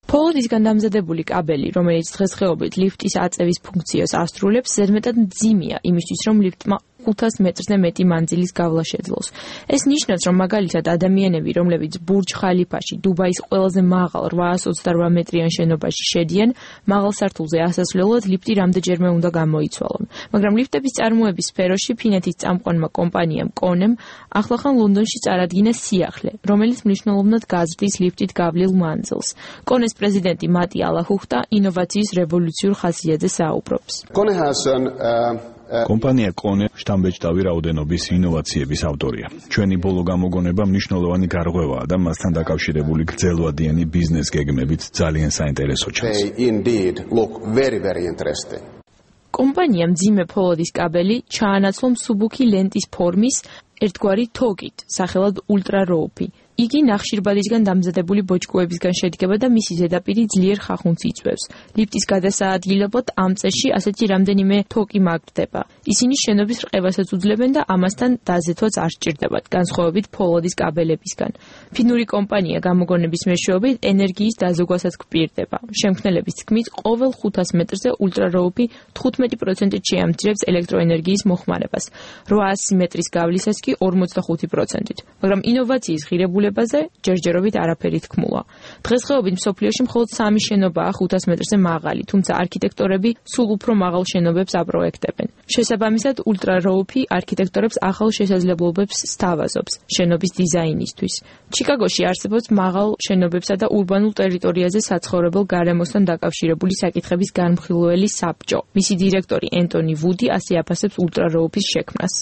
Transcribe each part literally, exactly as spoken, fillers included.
Polodisგან დამზადებული კაბელი, რომელიც დღესდღეობით ლიფტის აწევის ფუნქციას ასრულებს, ზედმეტად მძიმეა იმისთვის, რომ ლიფტმა ხუთას მეტრზე მეტი მანძილის გავლა შეძლოს. ეს ნიშნავს, რომ მაგალითად ადამიანები, რომლებიც ბურჯ ხალიფაში, დუბაის ყველაზე მაღალ რვაას ოცდარვა მეტრიან შენობაში შედიან, მაღალ სართულზე ასასვლელად ლიფტი რამდენჯერმე უნდა გამოიცვალონ. მაგრამ ლიფტების წარმოების სფეროში ფინეთის წამყვანმა კომპანიამ კონემ ახლახან ლონდონში წარადგინა სიახლე, რომელიც მნიშვნელოვნად გაზრდის ლიფტით გავლილ მანძილს. კონეს პრეზიდენტი მატი ალაჰუხტა ინოვაციის რევოლუციურ ხასიათზე საუბრობს. კომპანია კონე შთამბეჭდავი რაოდენობის ინოვაციების ავტორია. ჩვენი ბოლო გამოგონება მნიშვნელოვანი გარღვევაა და მასთან დაკავშირებული გრძელვადიანი ბიზნეს გეგმებით ძალიან საინტერესო ჩანს. კომპანია მძიმე ფოლოდის კაბელი ჩაანაცვლა მსუბუქი ლენტის ფორმის ერთგვარი თოგით, სახელად ულტრა როუფი. იგი ნახშირბადისგან დამზადებული ბოჭკოებისგან შედგება და მისი ზედაპირი ძლიერ ხახუნს იწვევს. ლიფტის გადასაადგილებლად ამ წესში ასეთი რამდენიმე თოკი მაგდება. ისინი შენობის რყევასაც უძლებენ და ამასთან დაზეთვაც არ სჭირდებათ, განსხვავებით ფოლოდის კაბელებისგან. ფინური კომპანია გამოგონების მეშვეობით ენერგიის დაზოგვასაც გპირდება. შემქმნელების თქმით, ყოველ ხუთას მეტრზე ულტრაროუფი თხუთმეტი პროცენტით შეამცირებს ელექტროენერგიის მოხმარებას, რვაასი მეტრის გავლისას კი ორმოცდახუთი პროცენტით. მაგრამ ინოვაციის ღირებულება ჯერჯერობით არაფერი თქმულა. დღესდღეობით მსოფლიოში მხოლოდ სამი შენობაა ხუთას მეტრზე მაღალი, თუმცა არქიტექტორები სულ უფრო მაღალ შენობებს აპროექტებენ. შესაბამისად, ულტრაროუფი არქიტექტორებს ახალ შესაძლებლობებს სთავაზობს შენობის დიზაინისთვის. ჩიკაგოში არსებობს მაღალ შენობებსა და ურბანულ ტერიტორიაზე საცხოვრებელ გარემოსთან დაკავშირებული საკითხების განმხილველი საბჭო. მისი დირექტორი ენტონი ვუდი ასე აფასებს ულტრაროუფის შექმნას.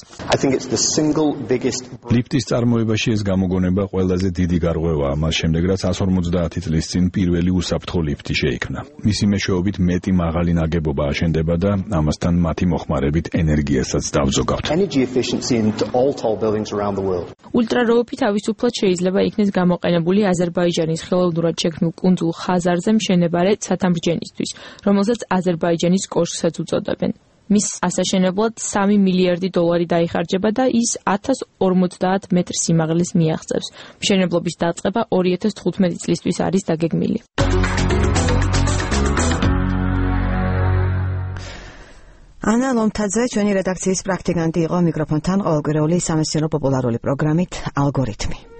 ლიფტის წარმოებაში ეს გამოგონება ყველა დიდი გარღვევაა მას შემდეგ, რაც εκατს ორმოცდაათი წლის წინ პირველი უსაფრთხო ლიფტი შეიქმნა. მისი მეშვეობით მეტი მაღალი ნაგებობა აშენდება და ამასთან მათი მოხმარებით ენერგიასაც დავზოგავთ. ულტრაროუფი თავისუფლად შეიძლება იქნეს გამოყენებული აზერბაიჯანის ხელოვნურად შექმნილ კუნძულ ხაზარზე მშენებარე ცათამბჯენისთვის, რომელსაც აზერბაიჯანის კოშკსაც უწოდებენ. მის ასაშენებლად სამი მილიარდი დოლარი დაიხარჯება და ის ათას ორმოცდაათ მეტრ სიმაღლეს მიაღწევს. მშენებლობის დაწყება ორი ათას თხუთმეტი წლისთვის არის დაგეგმილი. ანა ლომთაძე, ჩვენი რედაქციის პრაქტიკანტი იყო, მიკროფონთან ყოველკვირეული სამეცნიერო პოპულარული პროგრამით ალგორითმი.